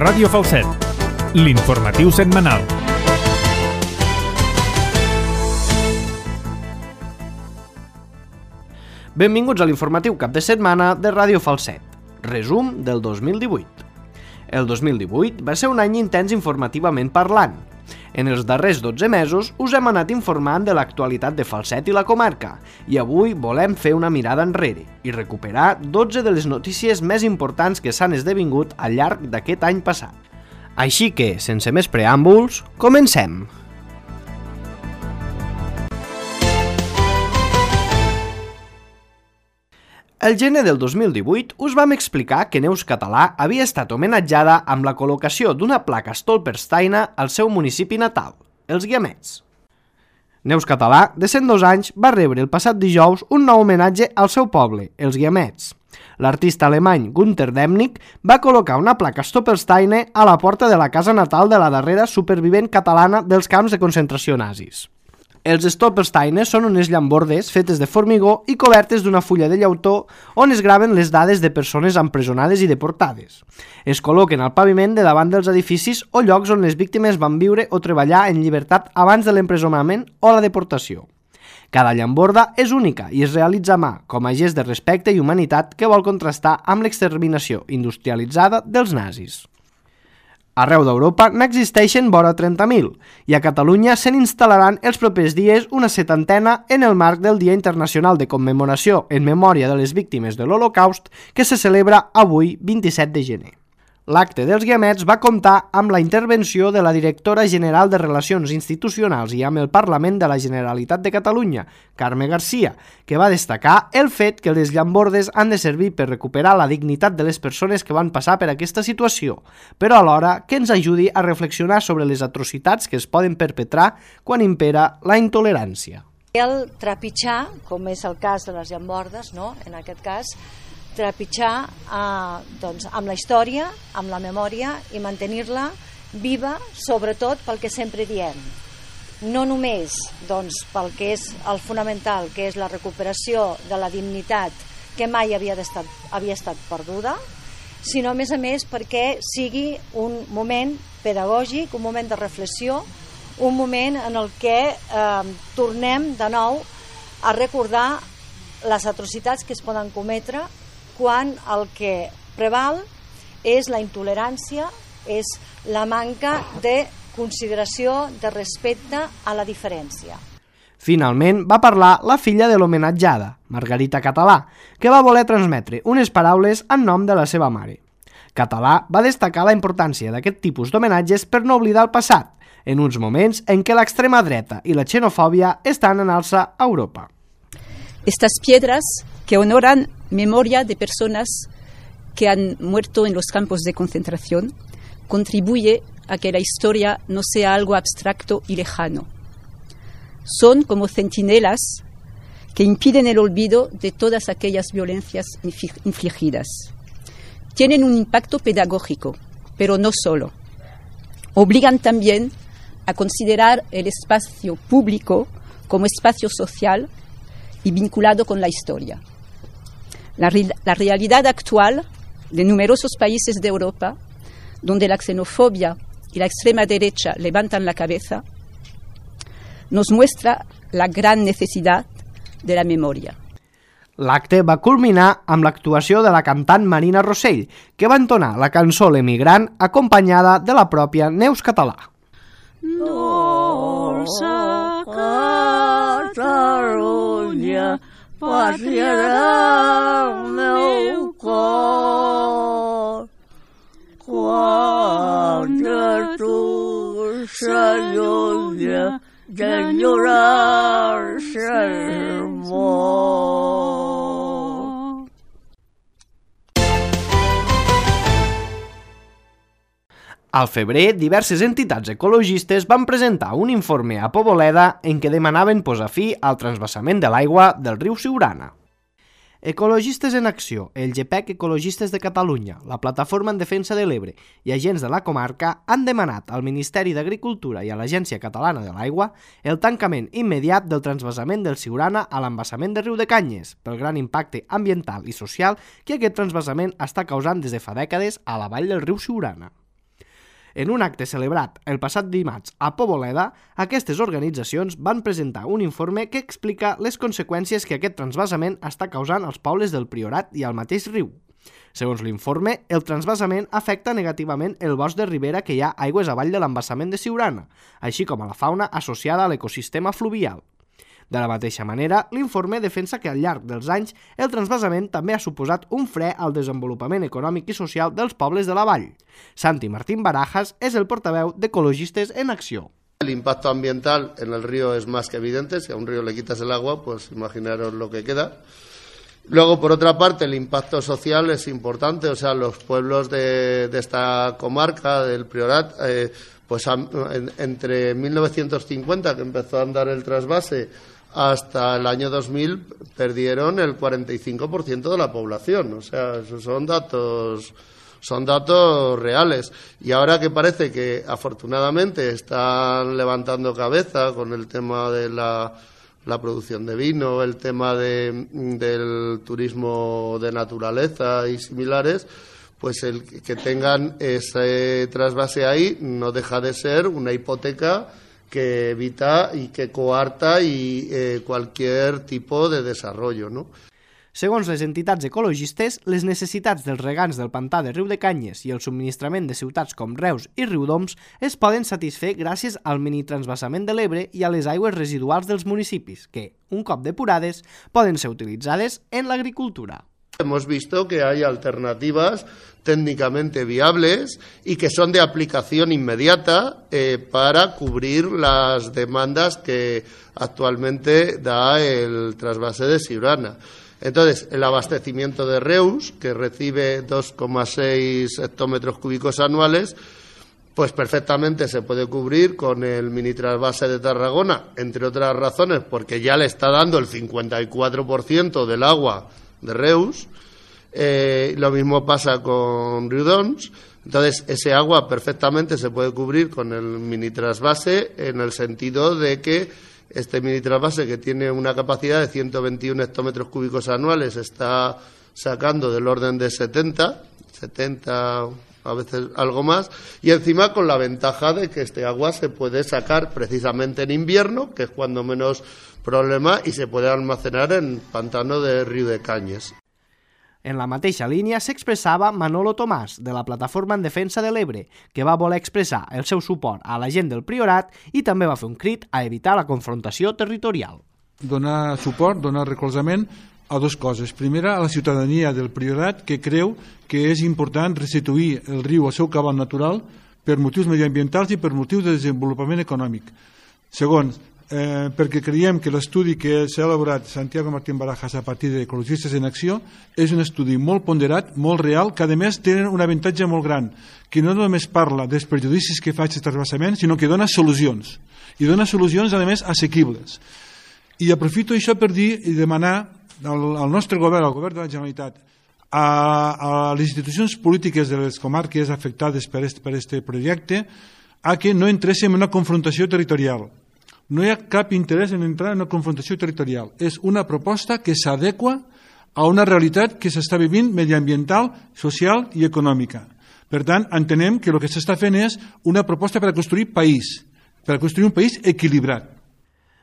Ràdio Falset, l'informatiu setmanal. Benvinguts a l'informatiu cap de setmana de Ràdio Falset. Resum del 2018. El 2018 va ser un any intens informativament parlant. En els darrers 12 mesos us hem anat informant de l'actualitat de Falset i la comarca i avui volem fer una mirada enrere i recuperar 12 de les notícies més importants que s'han esdevingut al llarg d'aquest any passat. Així que, sense més preàmbuls, comencem! El gener del 2018 us vam explicar que Neus Català havia estat homenatjada amb la col·locació d'una placa Stolpersteina al seu municipi natal, els Guiamets. Neus Català, de 102 anys, va rebre el passat dijous un nou homenatge al seu poble, els Guiamets. L'artista alemany Günter Demnig va col·locar una placa Stolpersteine a la porta de la casa natal de la darrera supervivent catalana dels camps de concentració nazis. Els Stolpersteines són unes llambordes fetes de formigó i cobertes d'una fulla de llautó on es graven les dades de persones empresonades i deportades. Es col·loquen al paviment de davant dels edificis o llocs on les víctimes van viure o treballar en llibertat abans de l'empresonament o la deportació. Cada llamborda és única i es realitza a mà, com a gest de respecte i humanitat que vol contrastar amb l'exterminació industrialitzada dels nazis. Arreu d'Europa n'existeixen vora 30.000 i a Catalunya se n'instal·laran els propers dies una 70 en el marc del Dia Internacional de Commemoració en memòria de les víctimes de l'Holocaust que se celebra avui, 27 de gener. L'acte dels Guiamets va comptar amb la intervenció de la directora general de Relacions Institucionals i amb el Parlament de la Generalitat de Catalunya, Carme Garcia, que va destacar el fet que les llambordes han de servir per recuperar la dignitat de les persones que van passar per aquesta situació, però alhora que ens ajudi a reflexionar sobre les atrocitats que es poden perpetrar quan impera la intolerància. El trepitjar, com és el cas de les llambordes, no? En aquest cas, trepitjar amb la història, amb la memòria i mantenir-la viva, sobretot pel que sempre diem. No només pel que és el fonamental, que és la recuperació de la dignitat que mai havia estat perduda, sinó a més perquè sigui un moment pedagògic, un moment de reflexió, un moment en el que tornem de nou a recordar les atrocitats que es poden cometre quan el que preval és la intolerància, és la manca de consideració, de respecte a la diferència. Finalment va parlar la filla de l'homenatjada, Margarita Català, que va voler transmetre unes paraules en nom de la seva mare. Català va destacar la importància d'aquest tipus d'homenatges per no oblidar el passat, en uns moments en què l'extrema dreta i la xenofòbia estan en alça a Europa. Estas piedras que honoran memoria de personas que han muerto en los campos de concentración contribuye a que la historia no sea algo abstracto y lejano. Son como centinelas que impiden el olvido de todas aquellas violencias infligidas. Tienen un impacto pedagógico, pero no solo. Obligan también a considerar el espacio público como espacio social y vinculado con la historia. La realidad actual de numerosos países de Europa, donde la xenofobia y la extrema derecha levantan la cabeza, nos muestra la gran necesidad de la memoria. L'acte va culminar amb l'actuació de la cantant Marina Rossell, que va entonar la cançó L'Emigrant acompanyada de la pròpia Neus Català. Dolça Catalunya, pàtria del meu cor, quan de tu s'allunya d'enyorar-se molt. Al febrer, diverses entitats ecologistes van presentar un informe a Poboleda en què demanaven posar fi al transvasament de l'aigua del riu Siurana. Ecologistes en Acció, el GPEC Ecologistes de Catalunya, la Plataforma en Defensa de l'Ebre i agents de la comarca han demanat al Ministeri d'Agricultura i a l'Agència Catalana de l'Aigua el tancament immediat del transvasament del Siurana a l'embassament de Riu de Canyes pel gran impacte ambiental i social que aquest transvasament està causant des de fa dècades a la vall del riu Siurana. En un acte celebrat el passat dimarts a Poboleda, aquestes organitzacions van presentar un informe que explica les conseqüències que aquest transvasament està causant als pobles del Priorat i al mateix riu. Segons l'informe, el transvasament afecta negativament el bosc de ribera que hi ha aigües avall de l'embassament de Siurana, així com a la fauna associada a l'ecosistema fluvial. De la mateixa manera, l'informe defensa que al llarg dels anys el transvasament també ha suposat un fre al desenvolupament econòmic i social dels pobles de la vall. Santi Martín Barajas és el portaveu d'Ecologistes en Acció. El impacto ambiental en el río es más que evidente. Si a un río le quitas el agua, pues imaginaros lo que queda. Luego, por otra parte, el impacto social es importante. O sea, los pueblos de esta comarca, del Priorat, pues entre 1950, que empezó a andar el trasvase, hasta el año 2000 perdieron el 45% de la población. O sea, esos son datos reales. Y ahora que parece que afortunadamente están levantando cabeza con el tema de la producción de vino, el tema del turismo de naturaleza y similares, pues el que tengan ese trasvase ahí no deja de ser una hipoteca que evita y que coarta cualquier tipo de desarrollo, ¿no? Segons les entitats ecologistes, les necessitats dels regants del pantà de Riudecanyes i el subministrament de ciutats com Reus i Riudoms es poden satisfer gràcies al minitransvasament de l'Ebre i a les aigües residuals dels municipis, que, un cop depurades, poden ser utilitzades en l'agricultura. Hemos visto que hay alternativas técnicamente viables y que son de aplicación inmediata para cubrir las demandas que actualmente da el trasvase de Siurana. Entonces, el abastecimiento de Reus, que recibe 2,6 hectómetros cúbicos anuales, pues perfectamente se puede cubrir con el mini trasvase de Tarragona, entre otras razones, porque ya le está dando el 54% del agua de Reus. Lo mismo pasa con Riudoms. Entonces, ese agua perfectamente se puede cubrir con el mini trasvase, en el sentido de que este mini trasvase, que tiene una capacidad de 121 hectómetros cúbicos anuales, está sacando del orden de 70, a veces algo más, y encima con la ventaja de que este agua se puede sacar precisamente en invierno, que es cuando menos problema, y se puede almacenar en pantano de Riudecanyes. En la mateixa línia s'expressava Manolo Tomàs, de la Plataforma en Defensa de l'Ebre, que va voler expressar el seu suport a la gent del Priorat i també va fer un crit a evitar la confrontació territorial. Donar suport, donar recolzament a dues coses. Primera, a la ciutadania del Priorat, que creu que és important restituir el riu al seu cabal natural per motius mediambientals i per motius de desenvolupament econòmic. Segon, perquè creiem que l'estudi que s'ha elaborat Santiago Martín Barajas a partir d'Ecologistes en Acció és un estudi molt ponderat, molt real, que a més té un avantatge molt gran, que no només parla dels perjudicis que fa aquest transvasament, sinó que dona solucions, i dona solucions a més assequibles. I aprofito això per dir i demanar al nostre govern, al govern de la Generalitat, a les institucions polítiques de les comarques afectades per aquest projecte, a que no entréssim en una confrontació territorial. No hi ha cap interès en entrar en una confrontació territorial. És una proposta que s'adequa a una realitat que s'està vivint mediambiental, social i econòmica. Per tant, entenem que el que s'està fent és una proposta per a construir país, per a construir un país equilibrat.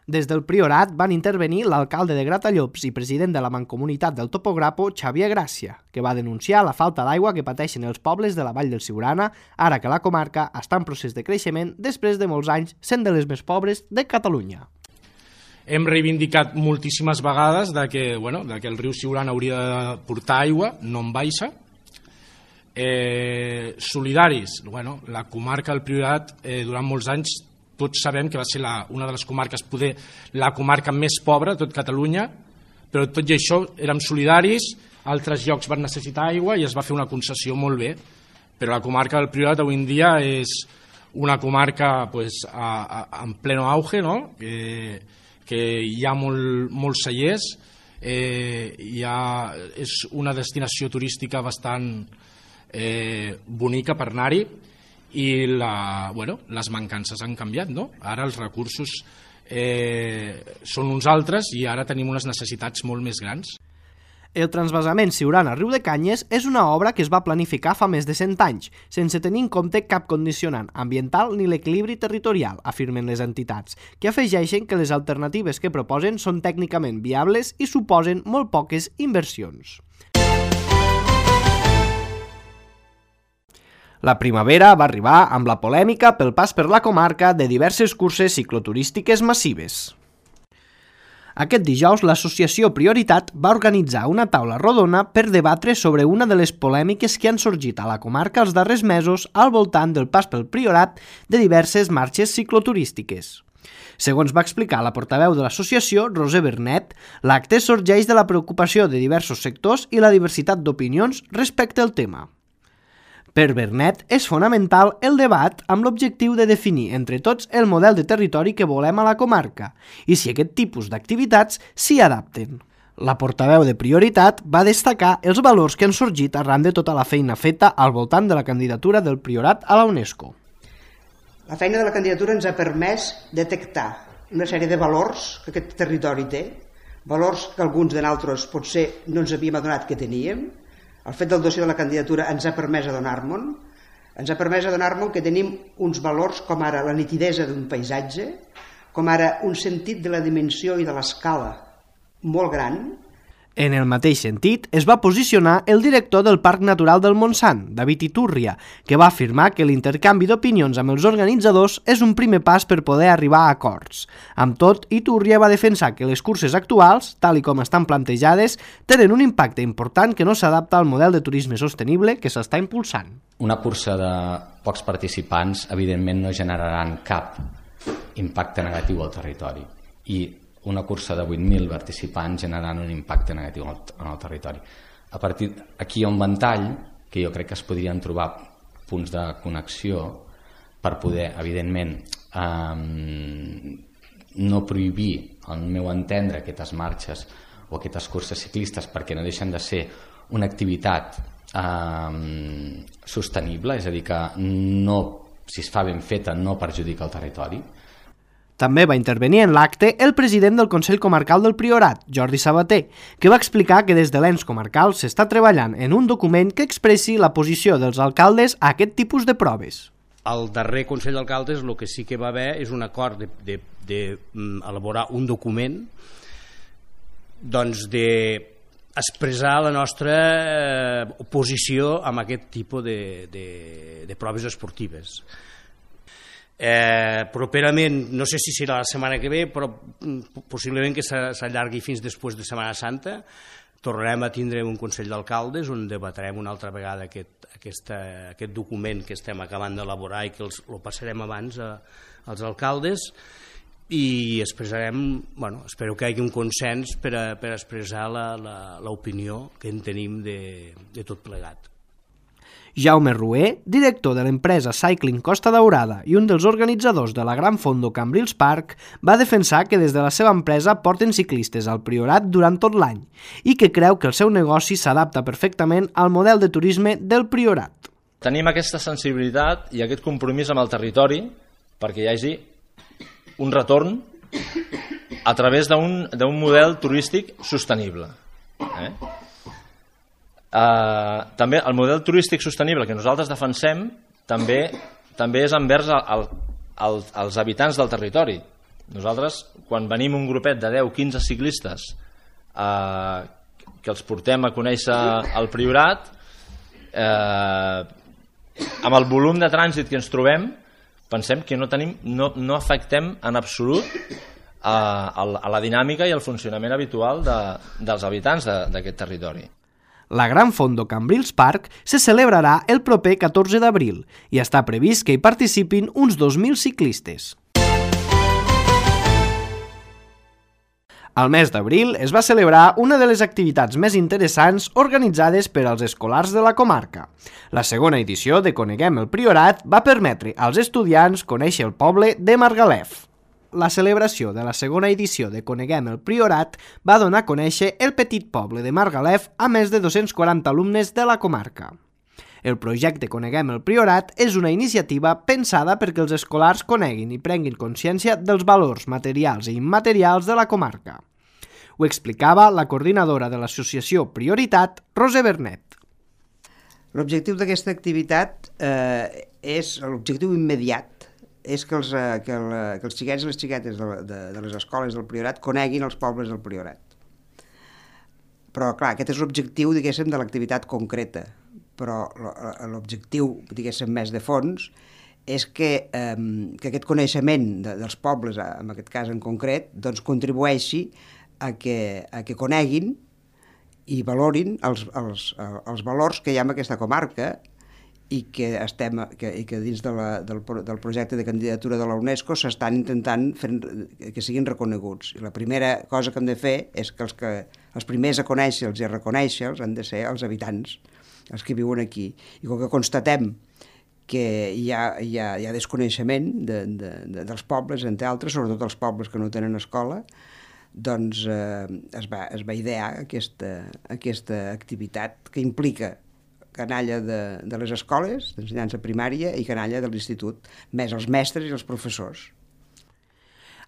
Des del Priorat van intervenir l'alcalde de Gratallops i president de la Mancomunitat del Topograpo, Xavier Gràcia, que va denunciar la falta d'aigua que pateixen els pobles de la Vall del Siurana, ara que la comarca està en procés de creixement després de molts anys sent de les més pobres de Catalunya. Hem reivindicat moltíssimes vegades que el riu Siurana hauria de portar aigua, no en baixa. Solidaris, la comarca del Priorat durant molts anys tots sabem que va ser una de les comarques, poder la comarca més pobra de tot Catalunya, però tot i això érem solidaris, altres llocs van necessitar aigua i es va fer una concessió molt bé, però la comarca del Priorat avui en dia és una comarca en pleno auge, que hi ha molts cellers, és una destinació turística bastant bonica per anar-hi, i les mancances han canviat, no? Ara els recursos són uns altres i ara tenim unes necessitats molt més grans. El transvasament Siurana-Riu de Canyes és una obra que es va planificar fa més de 100 anys, sense tenir en compte cap condicionant ambiental ni l'equilibri territorial, afirmen les entitats, que afegeixen que les alternatives que proposen són tècnicament viables i suposen molt poques inversions. La primavera va arribar amb la polèmica pel pas per la comarca de diverses curses cicloturístiques massives. Aquest dijous, l'associació Prioritat va organitzar una taula rodona per debatre sobre una de les polèmiques que han sorgit a la comarca els darrers mesos al voltant del pas pel Priorat de diverses marxes cicloturístiques. Segons va explicar la portaveu de l'associació, Roser Bernet, l'acte sorgeix de la preocupació de diversos sectors i la diversitat d'opinions respecte al tema. Per Bernet, és fonamental el debat amb l'objectiu de definir entre tots el model de territori que volem a la comarca i si aquest tipus d'activitats s'hi adapten. La portaveu de Prioritat va destacar els valors que han sorgit arran de tota la feina feta al voltant de la candidatura del Priorat a la UNESCO. La feina de la candidatura ens ha permès detectar una sèrie de valors que aquest territori té, valors que alguns de nosaltres potser no ens havíem adonat que teníem. El fet del dossier de la candidatura ens ha permès adonar-me'n que tenim uns valors com ara la nitidesa d'un paisatge, com ara un sentit de la dimensió i de l'escala molt gran. En el mateix sentit, es va posicionar el director del Parc Natural del Montsant, David Iturria, que va afirmar que l'intercanvi d'opinions amb els organitzadors és un primer pas per poder arribar a acords. Amb tot, Iturria va defensar que les curses actuals, tal i com estan plantejades, tenen un impacte important que no s'adapta al model de turisme sostenible que s'està impulsant. Una cursa de pocs participants, evidentment, no generaran cap impacte negatiu al territori. I una cursa de 8.000 participants generant un impacte negatiu en el territori. A partir d'aquí hi ha un ventall que jo crec que es podrien trobar punts de connexió per poder, evidentment, no prohibir, al meu entendre, aquestes marxes o aquestes curses ciclistes perquè no deixen de ser una activitat sostenible, és a dir, que no, si es fa ben feta no perjudica el territori. També va intervenir en l'acte el president del Consell Comarcal del Priorat, Jordi Sabater, que va explicar que des de l'ens comarcal s'està treballant en un document que expressi la posició dels alcaldes a aquest tipus de proves. Al darrer Consell d'Alcaldes el que sí que va haver és un acord d'elaborar un document doncs d'expressar la nostra oposició a aquest tipus de proves esportives. Properament, no sé si serà la setmana que ve, però possiblement que s'allargui fins després de Setmana Santa, tornarem a tindre un Consell d'Alcaldes on debatrem una altra vegada aquest document que estem acabant d'elaborar i que el passarem abans als alcaldes i expressarem, espero que hi hagi un consens per expressar l'opinió que en tenim de tot plegat. Jaume Rué, director de l'empresa Cycling Costa Daurada i un dels organitzadors de la Gran Fondo Cambrils Park, va defensar que des de la seva empresa porten ciclistes al Priorat durant tot l'any i que creu que el seu negoci s'adapta perfectament al model de turisme del Priorat. Tenim aquesta sensibilitat i aquest compromís amb el territori perquè hi hagi un retorn a través d'un model turístic sostenible. També el model turístic sostenible que nosaltres defensem també és envers als habitants del territori. Nosaltres, quan venim un grupet de 10-15 ciclistes que els portem a conèixer el Priorat, amb el volum de trànsit que ens trobem, pensem que no afectem en absolut a la dinàmica i al funcionament habitual dels habitants d'aquest territori. La Gran Fondo Cambrils Park se celebrarà el proper 14 d'abril i està previst que hi participin uns 2.000 ciclistes. Al mes d'abril es va celebrar una de les activitats més interessants organitzades per als escolars de la comarca. La segona edició de Coneguem el Priorat va permetre als estudiants conèixer el poble de Margalef. La celebració de la segona edició de Coneguem el Priorat va donar a conèixer el petit poble de Margalef a més de 240 alumnes de la comarca. El projecte Coneguem el Priorat és una iniciativa pensada perquè els escolars coneguin i prenguin consciència dels valors materials i immaterials de la comarca. Ho explicava la coordinadora de l'associació Prioritat, Roser Bernet. L'objectiu d'aquesta activitat és l'objectiu immediat, és que els xiquets i les xiquetes de les escoles del Priorat coneguin els pobles del Priorat. Però, clar, aquest és l'objectiu, diguéssim, de l'activitat concreta. Però l'objectiu, diguéssim, més de fons, és que aquest coneixement dels pobles, en aquest cas en concret, doncs contribueixi a que coneguin i valorin els valors que hi ha en aquesta comarca i que dins del projecte de candidatura de la UNESCO s'estan intentant que siguin reconeguts. I la primera cosa que hem de fer és que els primers a conèixer-los i a reconèixer-los han de ser els habitants, els que viuen aquí. I com que constatem que hi ha desconeixement dels pobles, entre altres, sobretot els pobles que no tenen escola, doncs es va idear aquesta activitat que implica canalla de les escoles d'ensenyança primària i canalla de l'institut, més els mestres i els professors.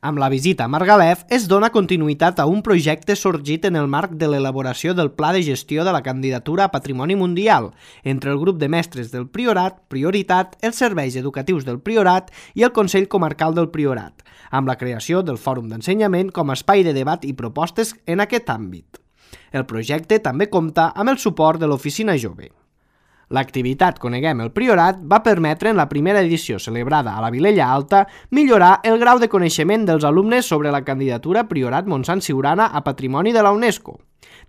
Amb la visita a Margalef es dona continuïtat a un projecte sorgit en el marc de l'elaboració del Pla de Gestió de la Candidatura a Patrimoni Mundial entre el grup de mestres del Priorat, Prioritat, els serveis educatius del Priorat i el Consell Comarcal del Priorat, amb la creació del Fòrum d'Ensenyament com a espai de debat i propostes en aquest àmbit. El projecte també compta amb el suport de l'Oficina Jove. L'activitat Coneguem el Priorat va permetre en la primera edició celebrada a la Vilella Alta millorar el grau de coneixement dels alumnes sobre la candidatura Priorat Montsant Siurana a Patrimoni de la UNESCO,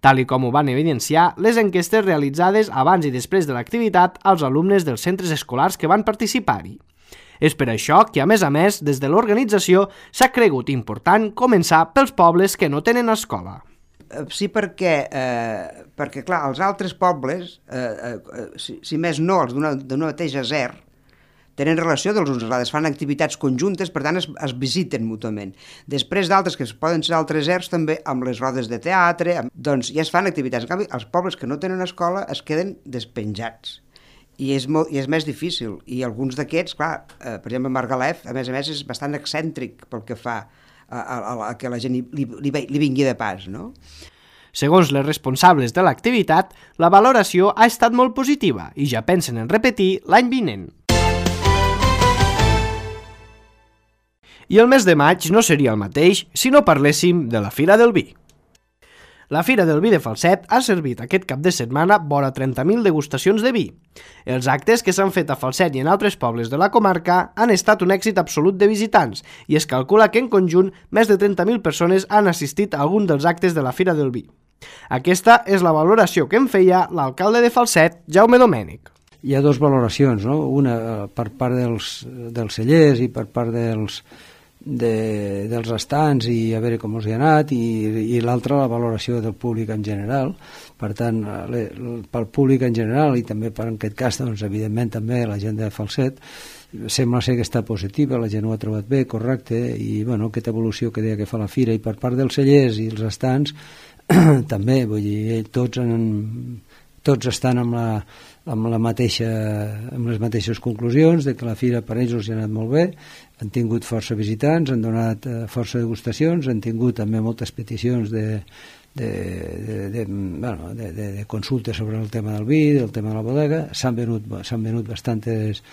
tal i com ho van evidenciar les enquestes realitzades abans i després de l'activitat als alumnes dels centres escolars que van participar-hi. És per això que, a més, des de l'organització s'ha cregut important començar pels pobles que no tenen escola. Sí, perquè clar, els altres pobles, si més no, els d'una mateixa ZER, tenen relació dels uns als altres, fan activitats conjuntes, per tant es visiten mútuament. Després d'altres, que poden ser altres ZERs, també amb les rodes de teatre, doncs ja es fan activitats. En canvi, els pobles que no tenen escola es queden despenjats. I és més difícil. I alguns d'aquests, clar, per exemple, Margalef, a més, és bastant excèntric pel que fa a que la gent li vingui de pas, no? Segons les responsables de l'activitat, la valoració ha estat molt positiva i ja pensen en repetir l'any vinent. I el mes de maig no seria el mateix si no parléssim de la Fira del Vi. La Fira del Vi de Falset ha servit aquest cap de setmana vora 30.000 degustacions de vi. Els actes que s'han fet a Falset i en altres pobles de la comarca han estat un èxit absolut de visitants i es calcula que en conjunt més de 30.000 persones han assistit a algun dels actes de la Fira del Vi. Aquesta és la valoració que en feia l'alcalde de Falset, Jaume Domènech. Hi ha dues valoracions, no? Una per part dels cellers i per part dels estants i a veure com els hi ha anat i l'altra la valoració del públic en general. Per tant, pel públic en general i també per en aquest cas, doncs, evidentment també la gent de Falset sembla ser que està positiva, la gent ho ha trobat bé, correcte, i bueno, aquesta evolució que deia que fa la fira, i per part dels cellers i els estants també, vull dir, tots estan amb les mateixes conclusions, de que la fira per ells els ha anat molt bé, han tingut força visitants, han donat força degustacions, han tingut també moltes peticions de consultes sobre el tema del vi, del tema de la bodega, s'han venut bastantes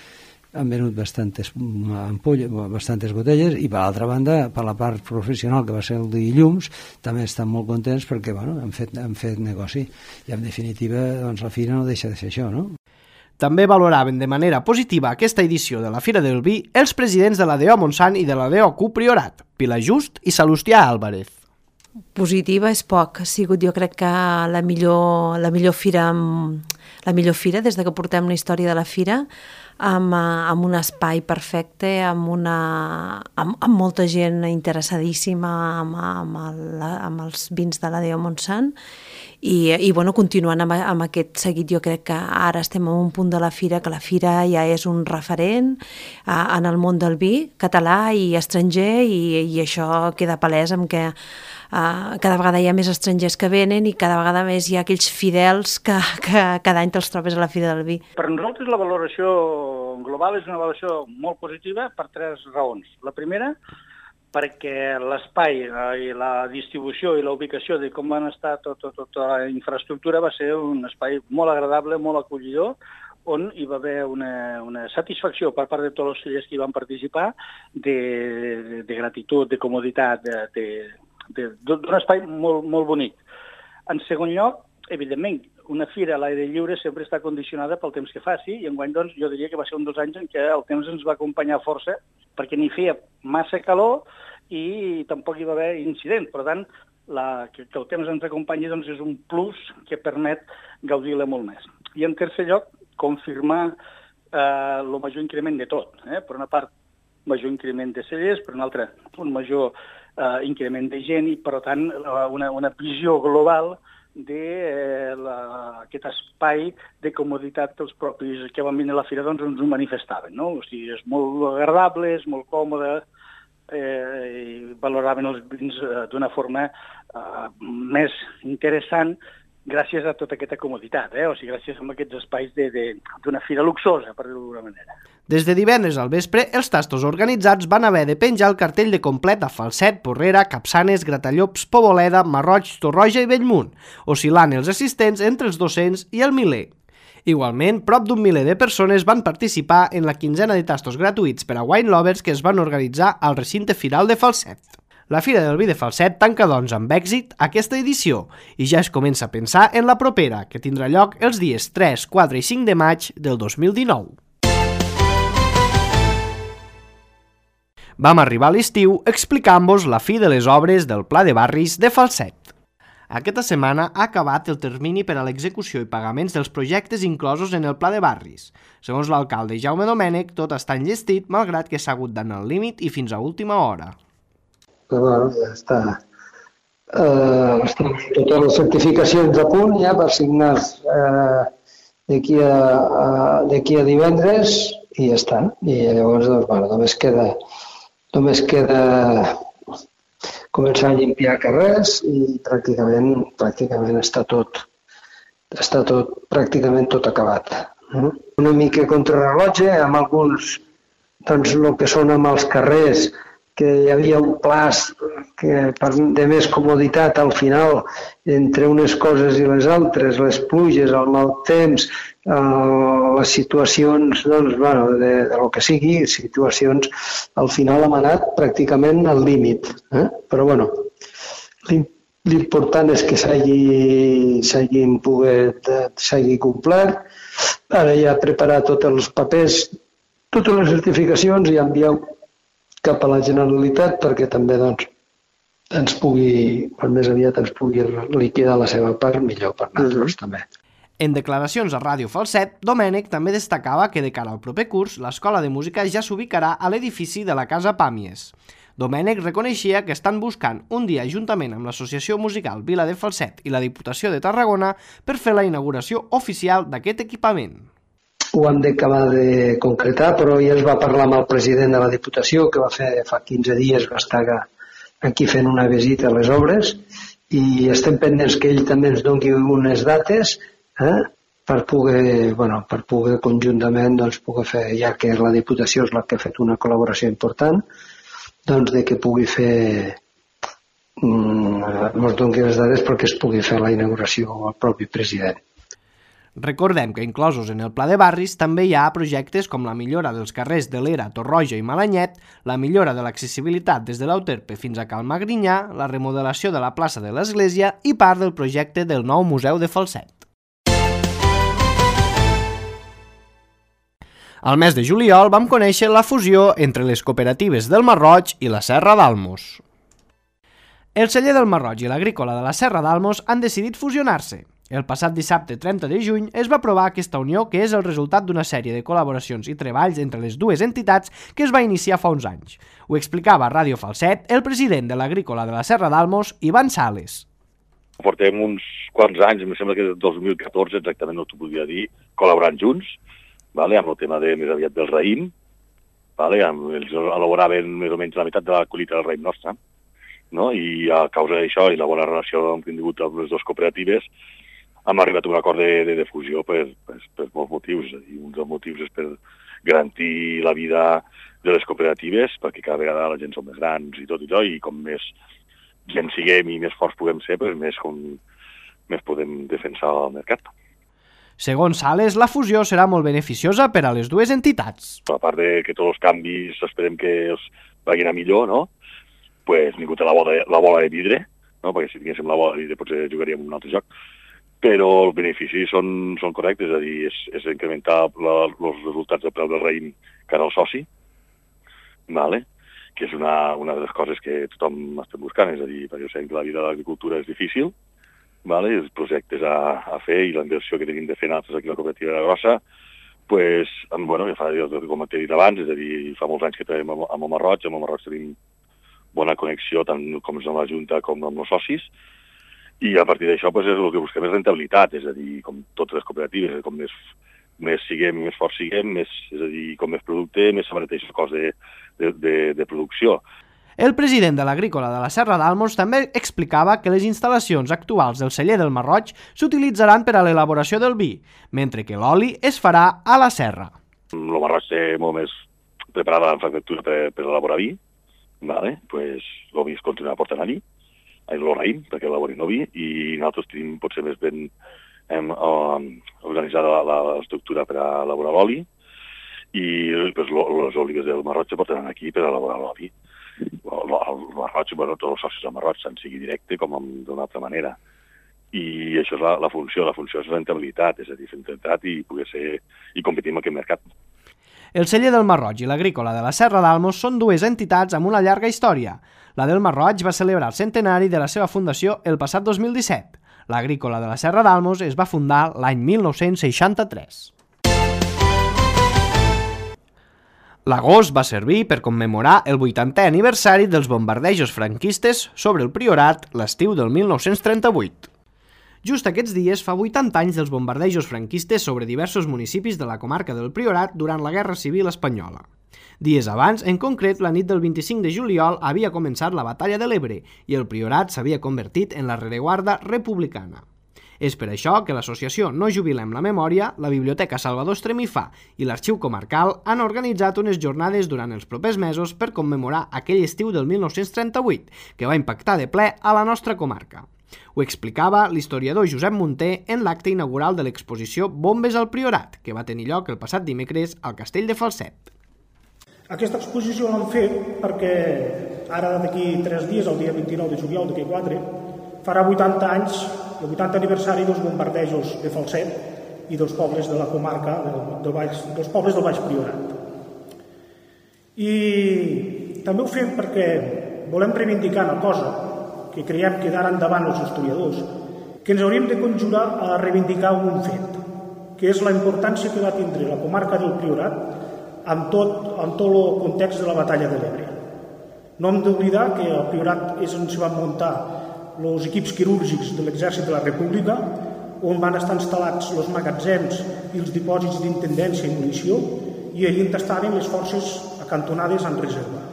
ampolles, bastantes botelles, i per l'altra banda, per la part professional, que va ser el dilluns, també estan molt contents perquè han fet negoci, i en definitiva doncs, la fira no deixa de ser això, no? També valoraven de manera positiva aquesta edició de la Fira del Vi els presidents de la DO Montsant i de la DOQ Priorat, Pilar Just i Salustià Álvarez. Positiva és poc, ha sigut jo crec que la millor fira des de que portem la història de la fira, amb un espai perfecte, amb molta gent interessadíssima amb els vins de la DO Montsant, i bueno, continuant amb aquest seguit, jo crec que ara estem en un punt de la fira que la fira ja és un referent en el món del vi català i estranger, i això queda palès amb que cada vegada hi ha més estrangers que venen i cada vegada més hi ha aquells fidels que cada any te'ls trobes a la Fira del Vi. Per nosaltres la valoració global és una valoració molt positiva per tres raons. La primera, perquè l'espai i la distribució i la ubicació de com van estar tota la infraestructura va ser un espai molt agradable, molt acollidor, on hi va haver una satisfacció per part de tots els cellers que hi van participar de gratitud, de comoditat, d'un espai molt bonic. En segon lloc, evidentment, una fira a l'aire lliure sempre està condicionada pel temps que faci i enguany doncs, jo diria que va ser un dels anys en què el temps ens va acompanyar força perquè ni feia massa calor i tampoc hi va haver incident. Per tant, que el temps ens acompanyi doncs, és un plus que permet gaudir-la molt més. I en tercer lloc, confirmar el major increment de tot. Per una part, major increment de cellers, per una altra, un major increment de gent i, per tant, una visió global d'aquest espai de comoditat que els propis que van venir a la fira doncs, ens ho manifestaven. No? O sigui, és molt agradable, és molt còmode, i valoraven els vins d'una forma més interessant gràcies a tota aquesta comoditat, o sigui, gràcies a aquests espais d'una fira luxosa, per dir-ho d'alguna manera. Des de divendres al vespre, els tastos organitzats van haver de penjar el cartell de complet a Falset, Porrera, Capçanes, Gratallops, Poboleda, Marroig, Torroja i Bellmunt, oscil·lant els assistents entre els 200 i el miler. Igualment, prop d'un miler de persones van participar en la quinzena de tastos gratuïts per a wine lovers que es van organitzar al recinte firal de Falset. La Fira del Vi de Falset tanca, doncs, amb èxit aquesta edició i ja es comença a pensar en la propera, que tindrà lloc els dies 3, 4 i 5 de maig del 2019. Vam arribar a l'estiu explicant-vos la fi de les obres del Pla de Barris de Falset. Aquesta setmana ha acabat el termini per a l'execució i pagaments dels projectes inclosos en el Pla de Barris. Segons l'alcalde Jaume Domènech, tot està enllestit, malgrat que s'ha hagut d'anar al límit i fins a última hora. Bueno, ja està. Estan totes les certificacions a punt ja per signar d'aquí a divendres i ja està. I llavors, doncs, bueno, només queda començar a limpiar carrers i pràcticament està tot pràcticament tot acabat. Una mica contrarrellotge amb alguns, doncs, el que són amb els carrers, que hi havia un plaç de més comoditat al final entre unes coses i les altres, les pluges, el mal temps, les situacions, doncs, bueno, de lo que sigui, situacions, al final hem anat pràcticament al límit. Però, bueno, l'important és que s'hagi complert. Ara ja preparar tots els papers, totes les certificacions i enviar cap a la Generalitat perquè també doncs, ens pugui, quan més aviat ens pugui liquidar la seva part, millor per nosaltres també. En declaracions a Ràdio Falset, Domènech també destacava que de cara al proper curs, l'Escola de Música ja s'ubicarà a l'edifici de la Casa Pàmies. Domènech reconeixia que estan buscant un dia juntament amb l'Associació Musical Vila de Falset i la Diputació de Tarragona per fer la inauguració oficial d'aquest equipament. Ho hem d'acabar de concretar, però ja es va parlar amb el president de la Diputació, que va fer fa 15 dies, va estar aquí fent una visita a les obres, i estem pendents que ell també ens doni unes dates per poder conjuntament poder fer, ja que la Diputació és la que ha fet una col·laboració important, doncs de que pugui fer, ens doni les dades perquè es pugui fer la inauguració al propi president. Recordem que inclosos en el Pla de Barris també hi ha projectes com la millora dels carrers de l'Era, Torroja i Malanyet, la millora de l'accessibilitat des de l'Euterpe fins a Cal Magrinyà, la remodelació de la plaça de l'Església i part del projecte del nou Museu de Falset. Al mes de juliol vam conèixer la fusió entre les cooperatives del Marroig i la Serra d'Almos. El celler del Marroig i l'agrícola de la Serra d'Almos han decidit fusionar-se. El passat dissabte 30 de juny es va aprovar aquesta unió que és el resultat d'una sèrie de col·laboracions i treballs entre les dues entitats que es va iniciar fa uns anys. Ho explicava a Ràdio Falset el president de l'agrícola de la Serra d'Almos, Ivan Sales. Portem uns quants anys, em sembla que del 2014 exactament no t'ho podia dir, col·laborant junts, amb el tema més aviat del raïm, ells elaboraven més o menys la meitat de la collita del raïm nostre, i a causa d'això i la bona relació que hem tingut amb les dues cooperatives, hem arribat a un acord de fusió per molts motius. És a dir, un dels motius és per garantir la vida de les cooperatives, perquè cada vegada la gent som més grans i tot, i com més gent siguem i més forts puguem ser, més podem defensar el mercat. Segons Sales, la fusió serà molt beneficiosa per a les dues entitats. A part de que tots els canvis esperem que els vagin a millor, no? Pues ningú té la bola de vidre, no? Perquè si tinguéssim la bola de vidre potser jugaríem un altre joc. Però els beneficis són correctes, és a dir, és incrementar els resultats del preu del raïm cara al soci, vale? Que és una de les coses que tothom està buscant, és a dir, perquè sabem que la vida de l'agricultura és difícil, vale? Els projectes a fer i la inversió que tenim de fer nosaltres aquí a la cooperativa de la Grossa, pues, bueno, com t'he dit abans, és a dir, fa molts anys que treballem amb el Marroig, tenim bona connexió tant com amb la Junta com amb els socis, i a partir d'això pues, el que busquem és rentabilitat, és a dir, com totes les cooperatives, com més siguem, més forts siguem, és a dir, com més producte, més s'abarateix el cost de producció. El president de l'Agrícola de la Serra d'Almos també explicava que les instal·lacions actuals del celler del Marroig s'utilitzaran per a l'elaboració del vi, mentre que l'oli es farà a la serra. El Marroig té molt més preparada la infraestructura per elaborar vi, vale? Pues, el vi es continua portant allí, el raïm, perquè elaborin el vi, i nosaltres tenim potser més ben organitzada l'estructura per a elaborar l'oli, i pues, les olives del Marroig se portaran aquí per a elaborar l'oli. El Marroig, bueno, tots els socis del Marroig, tant sigui directe com d'una altra manera. I això és la funció és rentabilitat, és a dir, rentabilitat i poder ser i competir en aquest mercat. El celler del Marroig i l'Agrícola de la Serra d'Almos són dues entitats amb una llarga història. La del Marroig va celebrar el centenari de la seva fundació el passat 2017. L'Agrícola de la Serra d'Almos es va fundar l'any 1963. L'agost va servir per commemorar el 80è aniversari dels bombardejos franquistes sobre el Priorat l'estiu del 1938. Just aquests dies fa 80 anys dels bombardejos franquistes sobre diversos municipis de la comarca del Priorat durant la Guerra Civil Espanyola. Dies abans, en concret, la nit del 25 de juliol havia començat la Batalla de l'Ebre i el Priorat s'havia convertit en la rereguarda republicana. És per això que l'associació No Jubilem la Memòria, la Biblioteca Salvador Estremifà i l'Arxiu Comarcal han organitzat unes jornades durant els propers mesos per commemorar aquell estiu del 1938, que va impactar de ple a la nostra comarca. Ho explicava l'historiador Josep Munter en l'acte inaugural de l'exposició Bombes al Priorat, que va tenir lloc el passat dimecres al Castell de Falset. Aquesta exposició l'hem fet perquè ara d'aquí 3 dies, el dia 29 de juliol d'aquí 4, farà 80 anys, el 80 aniversari dels bombardejos de Falset i dels pobles de la comarca, dels pobles del Baix Priorat. I també ho fem perquè volem reivindicar una cosa que creiem que d'ara endavant els historiadors, que ens hauríem de conjurar a reivindicar un fet, que és la importància que va tindre la comarca del Priorat en tot el context de la batalla de l'Ebre. No hem d'oblidar que al Priorat és on s'hi van muntar els equips quirúrgics de l'exèrcit de la República, on van estar instal·lats els magatzems i els dipòsits d'intendència i munició, i allí estaven les forces acantonades en reserva.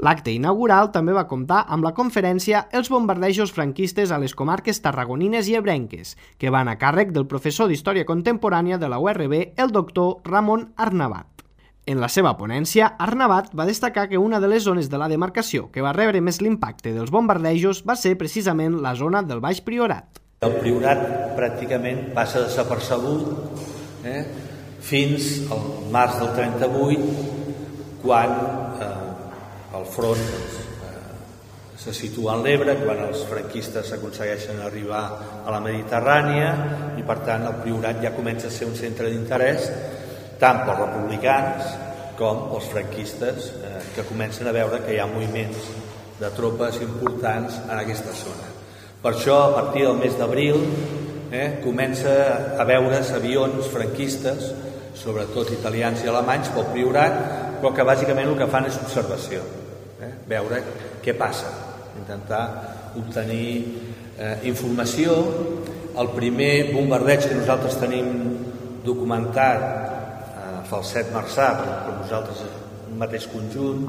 L'acte inaugural també va comptar amb la conferència Els bombardejos franquistes a les comarques tarragonines i ebrenques, que van a càrrec del professor d'Història Contemporània de la URB, el doctor Ramon Arnabat. En la seva ponència, Arnabat va destacar que una de les zones de la demarcació que va rebre més l'impacte dels bombardejos va ser precisament la zona del Baix Priorat. El Priorat pràcticament passa desapercebut fins al març del 38, quan el front se situa en l'Ebre, quan els franquistes aconsegueixen arribar a la Mediterrània i per tant el Priorat ja comença a ser un centre d'interès tant pels republicans com pels franquistes, que comencen a veure que hi ha moviments de tropes importants en aquesta zona. Per això, a partir del mes d'abril, comença a veure's avions franquistes, sobretot italians i alemanys, pel Priorat, però que bàsicament el que fan és observació, veure què passa, intentar obtenir informació. El primer bombardeig que nosaltres tenim documentat Falset Marçà, per nosaltres un mateix conjunt,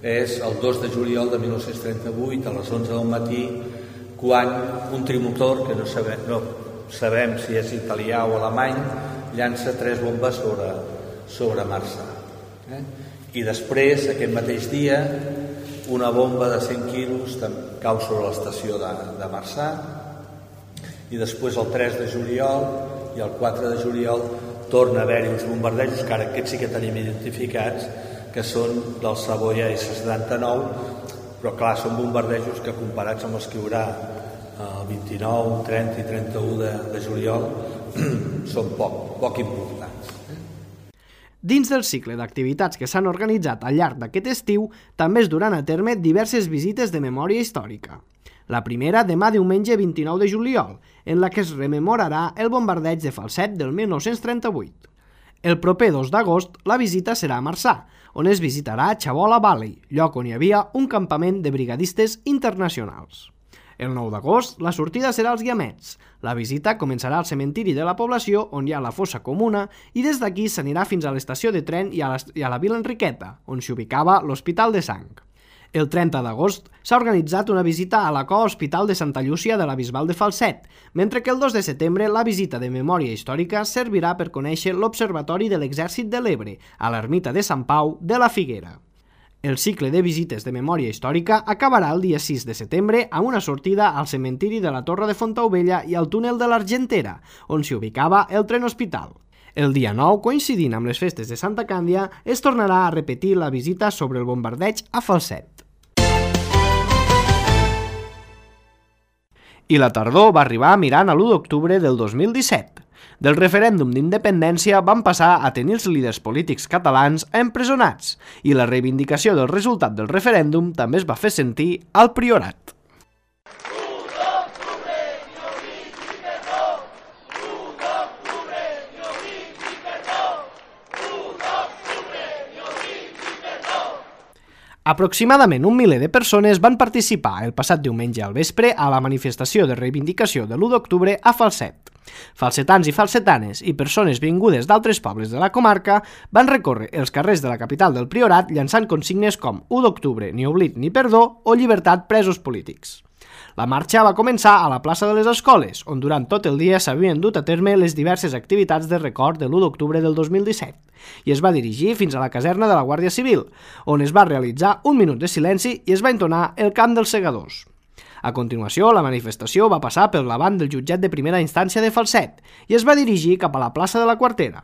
és el 2 de juliol de 1938 a les 11 del matí, quan un trimotor, que no sabem si és italià o alemany, llança 3 bombes sobre Marçà. I després, aquest mateix dia, una bomba de 100 quilos cau sobre l'estació de Marçà, i després el 3 de juliol i el 4 de juliol torna a haver-hi uns bombardejos, que ara aquests sí que tenim identificats, que són del Savoia S-79, però clar, són bombardejos que comparats amb els que hi haurà el 29, 30 i 31 de juliol són poc importants. Dins del cicle d'activitats que s'han organitzat al llarg d'aquest estiu, també es duran a terme diverses visites de memòria històrica. La primera demà diumenge 29 de juliol, en la que es rememorarà el bombardeig de Falset del 1938. El proper 2 d'agost la visita serà a Marçà, on es visitarà Chabola Valley, lloc on hi havia un campament de brigadistes internacionals. El 9 d'agost la sortida serà als Guiamets. La visita començarà al cementiri de la població, on hi ha la fossa comuna, i des d'aquí s'anirà fins a l'estació de tren i a la Vila Enriqueta, on s'hi ubicava l'Hospital de Sang. El 30 d'agost s'ha organitzat una visita a la COA Hospital de Santa Llúcia de la Bisbal de Falset, mentre que el 2 de setembre la visita de memòria històrica servirà per conèixer l'Observatori de l'Exèrcit de l'Ebre, a l'Ermita de Sant Pau de la Figuera. El cicle de visites de memòria històrica acabarà el dia 6 de setembre amb una sortida al cementiri de la Torre de Fontaubella i al túnel de l'Argentera, on s'hi ubicava el tren hospital. El dia 9, coincidint amb les festes de Santa Càndia, es tornarà a repetir la visita sobre el bombardeig a Falset. I la tardor va arribar mirant a l'1 d'octubre del 2017. Del referèndum d'independència van passar a tenir els líders polítics catalans empresonats i la reivindicació del resultat del referèndum també es va fer sentir al Priorat. Aproximadament un miler de persones van participar el passat diumenge al vespre a la manifestació de reivindicació de l'1 d'octubre a Falset. Falsetans i falsetanes i persones vingudes d'altres pobles de la comarca van recórrer els carrers de la capital del Priorat llançant consignes com 1 d'octubre, ni oblit ni perdó o llibertat presos polítics. La marxa va començar a la plaça de les Escoles, on durant tot el dia s'havien dut a terme les diverses activitats de record de l'1 d'octubre del 2017, i es va dirigir fins a la caserna de la Guàrdia Civil, on es va realitzar un minut de silenci i es va entonar el cant dels segadors. A continuació, la manifestació va passar pel davant del jutjat de primera instància de Falset i es va dirigir cap a la plaça de la Quartera.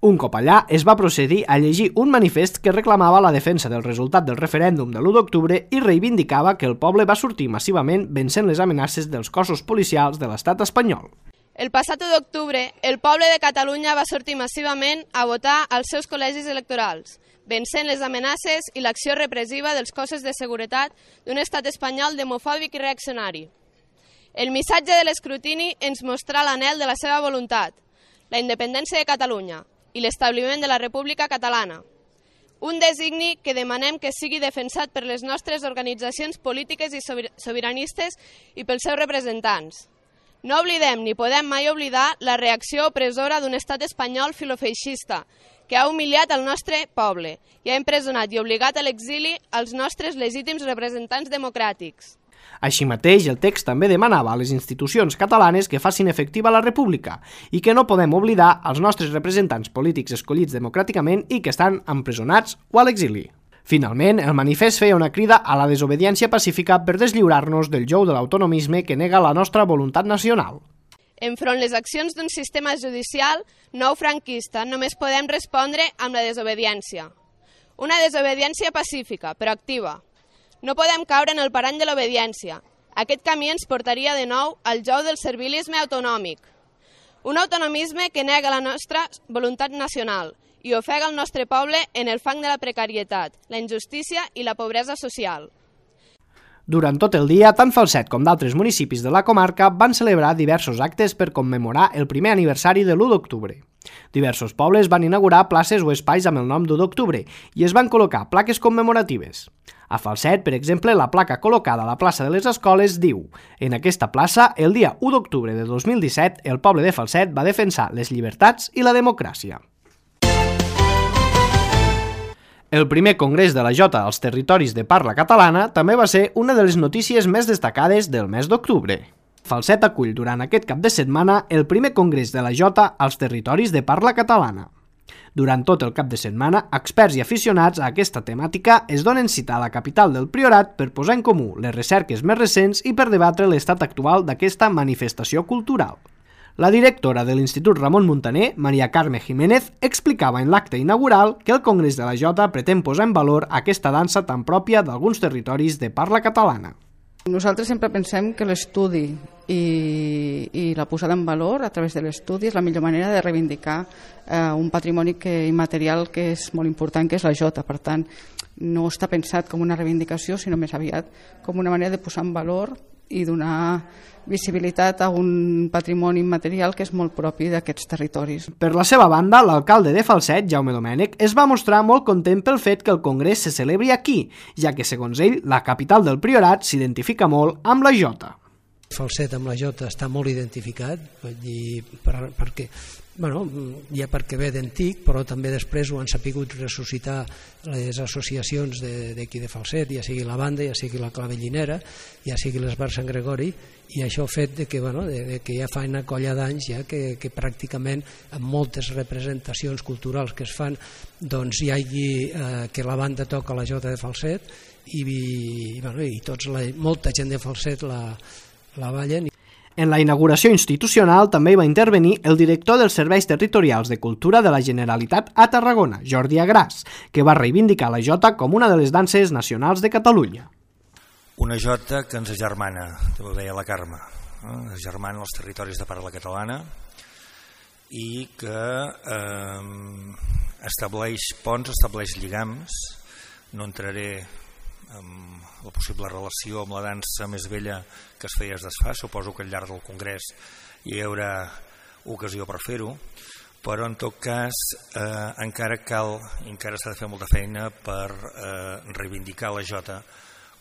Un cop allà, es va procedir a llegir un manifest que reclamava la defensa del resultat del referèndum de l'1 d'octubre i reivindicava que el poble va sortir massivament vencent les amenaces dels cossos policials de l'estat espanyol. El passat 1 d'octubre, el poble de Catalunya va sortir massivament a votar als seus col·legis electorals, vencent les amenaces i l'acció repressiva dels cossos de seguretat d'un estat espanyol demofòbic i reaccionari. El missatge de l'escrutini ens mostrà l'anhel de la seva voluntat, la independència de Catalunya i l'establiment de la República Catalana. Un designi que demanem que sigui defensat per les nostres organitzacions polítiques i sobiranistes i pels seus representants. No oblidem ni podem mai oblidar la reacció opressora d'un estat espanyol filofeixista que ha humiliat el nostre poble i ha empresonat i obligat a l'exili als nostres legítims representants democràtics. Així mateix, el text també demanava a les institucions catalanes que facin efectiva la República i que no podem oblidar els nostres representants polítics escollits democràticament i que estan empresonats o a l'exili. Finalment, el manifest feia una crida a la desobediència pacífica per deslliurar-nos del jou de l'autonomisme que nega la nostra voluntat nacional. Enfront les accions d'un sistema judicial nou franquista només podem respondre amb la desobediència. Una desobediència pacífica, però activa. No podem caure en el parany de l'obediència. Aquest camí ens portaria de nou al jou del servilisme autonòmic. Un autonomisme que nega la nostra voluntat nacional i ofega el nostre poble en el fang de la precarietat, la injustícia i la pobresa social. Durant tot el dia, tant Falset com d'altres municipis de la comarca van celebrar diversos actes per commemorar el primer aniversari de l'1 d'octubre. Diversos pobles van inaugurar places o espais amb el nom d'1 d'octubre i es van col·locar plaques commemoratives. A Falset, per exemple, la placa col·locada a la plaça de les Escoles diu: en aquesta plaça, el dia 1 d'octubre de 2017, el poble de Falset va defensar les llibertats i la democràcia. El primer congrés de la Jota als territoris de parla catalana també va ser una de les notícies més destacades del mes d'octubre. Falset acull durant aquest cap de setmana el primer congrés de la Jota als territoris de parla catalana. Durant tot el cap de setmana, experts i aficionats a aquesta temàtica es donen cita a la capital del Priorat per posar en comú les recerques més recents i per debatre l'estat actual d'aquesta manifestació cultural. La directora de l'Institut Ramon Muntaner, Maria Carme Jiménez, explicava en l'acte inaugural que el Congrés de la Jota pretén posar en valor aquesta dansa tan pròpia d'alguns territoris de parla catalana. Nosaltres sempre pensem que l'estudi i la posada en valor a través de l'estudi és la millor manera de reivindicar un patrimoni immaterial que és molt important, que és la Jota. Per tant, no està pensat com una reivindicació, sinó més aviat com una manera de posar en valor i donar visibilitat a un patrimoni immaterial que és molt propi d'aquests territoris. Per la seva banda, l'alcalde de Falset, Jaume Domènech, es va mostrar molt content pel fet que el congrés se celebri aquí, ja que, segons ell, la capital del Priorat s'identifica molt amb la Jota. Falset amb la Jota està molt identificat, perquè ja perquè ve d'antic, però també després ho han sapigut ressuscitar les associacions d'aquí de Falset, ja sigui la banda, ja sigui la clavellinera, ja sigui l'Esbar Sant Gregori, i això ha fet que ja fa una colla d'anys que pràcticament amb moltes representacions culturals que es fan doncs hi hagi que la banda toca la Jota de Falset i molta gent de Falset la ballen. En la inauguració institucional també hi va intervenir el director dels Serveis Territorials de Cultura de la Generalitat a Tarragona, Jordi Agràs, que va reivindicar la Jota com una de les danses nacionals de Catalunya. Una Jota que ens agermana, ho deia la Carme, agermana els territoris de parla catalana i que estableix ponts, estableix lligams. No entraré en la possible relació amb la dansa més vella que es feia es desfà, suposo que al llarg del congrés hi haurà ocasió per fer-ho, però en tot cas encara s'ha de fer molta feina per reivindicar la Jota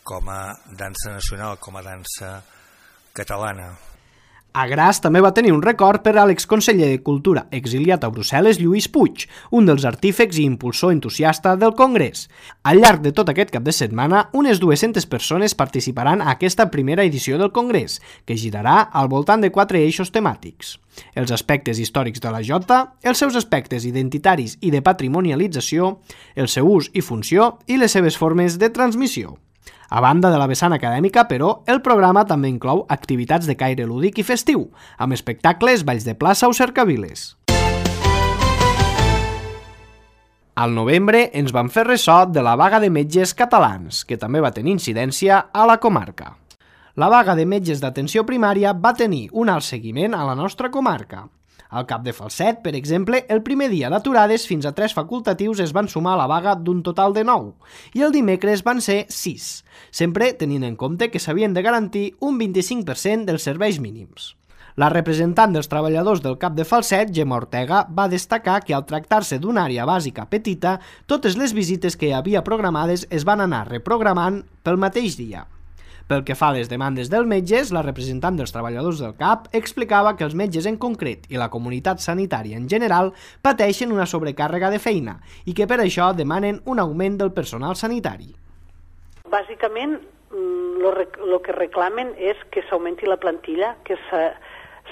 com a dansa nacional, com a dansa catalana. Agràs també va tenir un record per a l'exconseller de Cultura exiliat a Brussel·les, Lluís Puig, un dels artífecs i impulsor entusiasta del Congrés. Al llarg de tot aquest cap de setmana, unes 200 persones participaran a aquesta primera edició del Congrés, que girarà al voltant de 4 eixos temàtics. Els aspectes històrics de la Jota, els seus aspectes identitaris i de patrimonialització, el seu ús i funció i les seves formes de transmissió. A banda de la vessant acadèmica, però, el programa també inclou activitats de caire lúdic i festiu, amb espectacles, balls de plaça o cercaviles. Al novembre ens vam fer ressò de la vaga de metges catalans, que també va tenir incidència a la comarca. La vaga de metges d'atenció primària va tenir un alt seguiment a la nostra comarca. Al Cap de Falset, per exemple, el primer dia d'aturades fins a 3 facultatius es van sumar a la vaga d'un total de 9 i el dimecres van ser 6, sempre tenint en compte que s'havien de garantir un 25% dels serveis mínims. La representant dels treballadors del Cap de Falset, Gemma Ortega, va destacar que al tractar-se d'una àrea bàsica petita, totes les visites que hi havia programades es van anar reprogramant pel mateix dia. Pel que fa a les demandes dels metges, la representant dels treballadors del CAP explicava que els metges en concret i la comunitat sanitària en general pateixen una sobrecàrrega de feina i que per això demanen un augment del personal sanitari. Bàsicament, el que reclamen és que s'augmenti la plantilla, que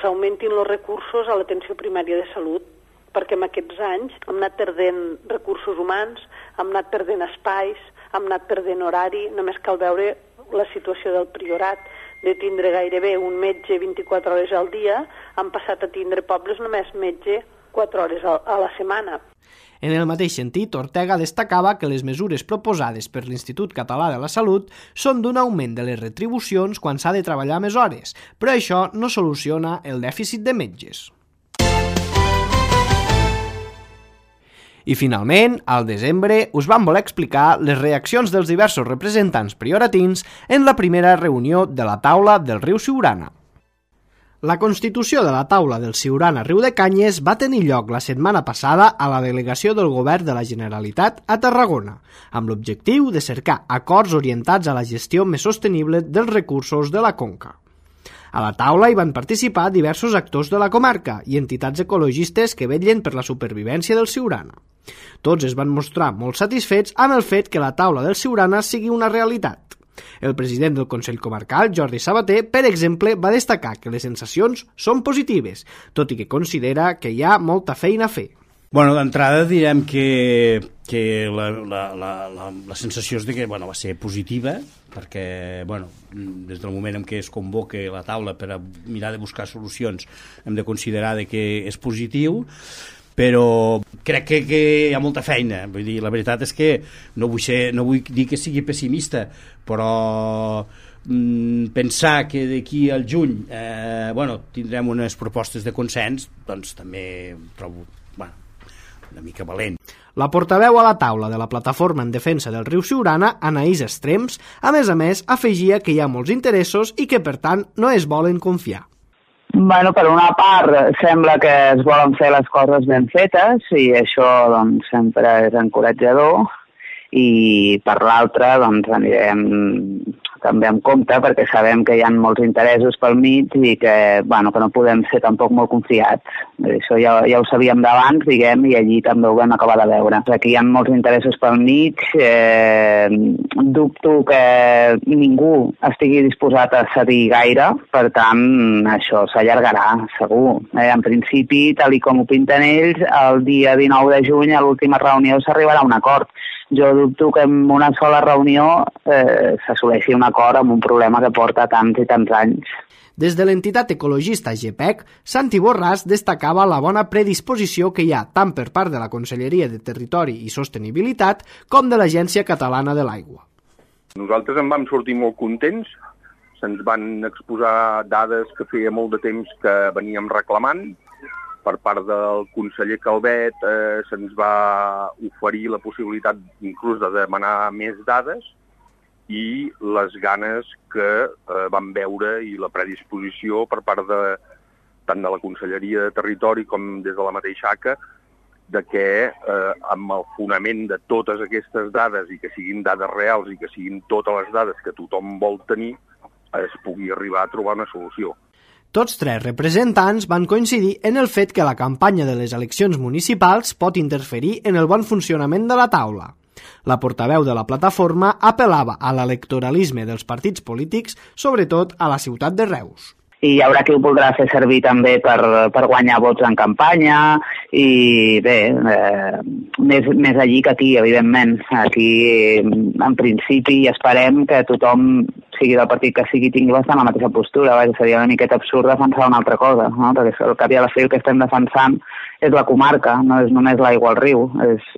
s'augmentin els recursos a l'atenció primària de salut, perquè en aquests anys hem anat perdent recursos humans, hem anat perdent espais, hem anat perdent horari, només cal veure la situació del Priorat, de tindre gairebé un metge 24 hores al dia, han passat a tindre pobles només metge 4 hores a la setmana. En el mateix sentit, Ortega destacava que les mesures proposades per l'Institut Català de la Salut són d'un augment de les retribucions quan s'ha de treballar més hores, però això no soluciona el dèficit de metges. I finalment, al desembre, us vam voler explicar les reaccions dels diversos representants prioratins en la primera reunió de la taula del riu Siurana. La constitució de la taula del Siurana Riu de Canyes va tenir lloc la setmana passada a la delegació del Govern de la Generalitat a Tarragona, amb l'objectiu de cercar acords orientats a la gestió més sostenible dels recursos de la conca. A la taula hi van participar diversos actors de la comarca i entitats ecologistes que vetllen per la supervivència del Siurana. Tots es van mostrar molt satisfets amb el fet que la taula del Siurana sigui una realitat. El president del Consell Comarcal, Jordi Sabater, per exemple, va destacar que les sensacions són positives, tot i que considera que hi ha molta feina a fer. Bueno, d'entrada direm que la sensació és de que va ser positiva, perquè des del moment en què es convoca la taula per a mirar de buscar solucions hem de considerar que és positiu, però crec que hi ha molta feina. Vull dir, la veritat és que no vull dir que sigui pessimista, però pensar que d'aquí al juny tindrem unes propostes de consens, doncs també trobo una mica valent. La portaveu a la taula de la plataforma en defensa del riu Siurana, Anaïs Estrems, a més, afegia que hi ha molts interessos i que, per tant, no es volen confiar. Per una part, sembla que es volen fer les coses ben fetes i això sempre és encoratjador, i per l'altra anirem també amb compte perquè sabem que hi ha molts interessos pel mig i que no podem ser tampoc molt confiats. Això ja ho sabíem d'abans, diguem, i allí també ho vam acabar de veure. Aquí hi ha molts interessos pel mig, dubto que ningú estigui disposat a cedir gaire, per tant, això s'allargarà, segur. En principi, tal com ho pinten ells, el dia 19 de juny, a l'última reunió, s'arribarà a un acord. Jo dubto que en una sola reunió s'assoleixi un acord amb un problema que porta tants i tants anys. Des de l'entitat ecologista GEPEC, Santi Borràs destacava la bona predisposició que hi ha tant per part de la Conselleria de Territori i Sostenibilitat com de l'Agència Catalana de l'Aigua. Nosaltres en vam sortir molt contents, se'ns van exposar dades que feia molt de temps que veníem reclamant. Per part del conseller Calvet se'ns va oferir la possibilitat inclús de demanar més dades i les ganes que vam veure i la predisposició per part tant de la Conselleria de Territori com des de la mateixa ACA de que amb el fonament de totes aquestes dades i que siguin dades reals i que siguin totes les dades que tothom vol tenir es pugui arribar a trobar una solució. Tots tres representants van coincidir en el fet que la campanya de les eleccions municipals pot interferir en el bon funcionament de la taula. La portaveu de la plataforma apel·lava a l'electoralisme dels partits polítics, sobretot a la ciutat de Reus. I hi haurà qui ho voldrà fer servir també per guanyar vots en campanya i bé, més allí que aquí, evidentment. Aquí, en principi, esperem que tothom, sigui del partit que sigui, tingui bastant la mateixa postura. Seria una miqueta absurd defensar una altra cosa, no? Perquè al cap i a la fi el que estem defensant és la comarca, no és només l'aigua al riu,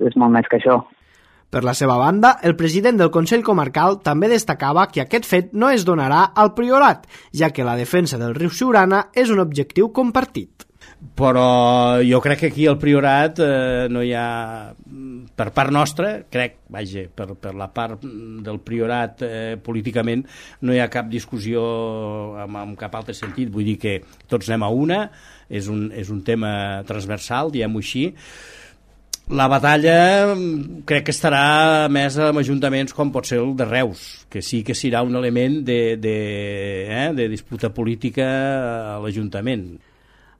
és molt més que això. Per la seva banda, el president del Consell Comarcal també destacava que aquest fet no es donarà al Priorat, ja que la defensa del riu Siurana és un objectiu compartit. Però jo crec que aquí al Priorat no hi ha, per part nostra, per la part del Priorat políticament no hi ha cap discussió en cap altre sentit, vull dir que tots anem a una, és un tema transversal, diguem-ho així. La batalla crec que estarà més amb ajuntaments com pot ser el de Reus, que sí que serà un element de disputa política a l'Ajuntament.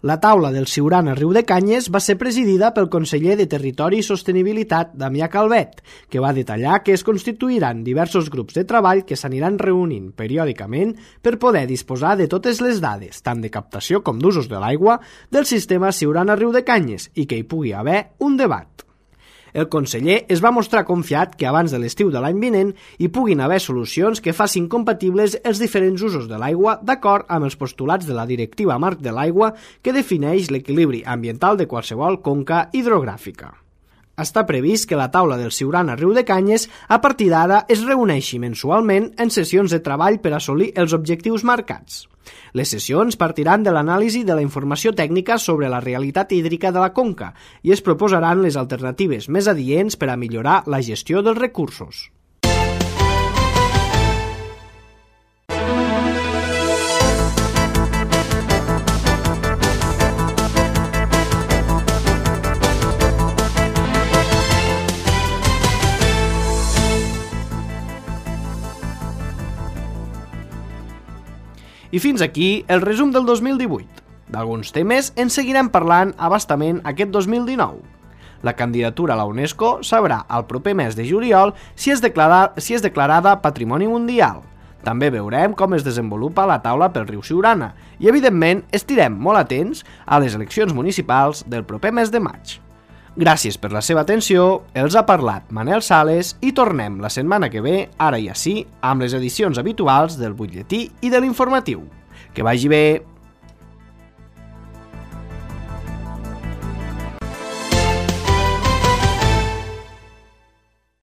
La taula del Siurana Riu de Canyes va ser presidida pel conseller de Territori i Sostenibilitat, Damià Calvet, que va detallar que es constituiran diversos grups de treball que s'aniran reunint periòdicament per poder disposar de totes les dades, tant de captació com d'usos de l'aigua, del sistema Siurana Riu de Canyes i que hi pugui haver un debat. El conseller es va mostrar confiat que abans de l'estiu de l'any vinent hi puguin haver solucions que facin compatibles els diferents usos de l'aigua d'acord amb els postulats de la Directiva Marc de l'Aigua que defineix l'equilibri ambiental de qualsevol conca hidrogràfica. Està previst que la taula del Siurana Riu de Canyes a partir d'ara es reuneixi mensualment en sessions de treball per assolir els objectius marcats. Les sessions partiran de l'anàlisi de la informació tècnica sobre la realitat hídrica de la conca i es proposaran les alternatives més adients per a millorar la gestió dels recursos. I fins aquí el resum del 2018. D'alguns temes en seguirem parlant a bastament aquest 2019. La candidatura a la UNESCO sabrà el proper mes de juliol si és declarada Patrimoni Mundial. També veurem com es desenvolupa la taula pel riu Siurana i, evidentment, estirem molt atents a les eleccions municipals del proper mes de maig. Gràcies per la seva atenció, els ha parlat Manel Sales i tornem la setmana que ve, ara i ací, amb les edicions habituals del butlletí i de l'informatiu. Que vagi bé!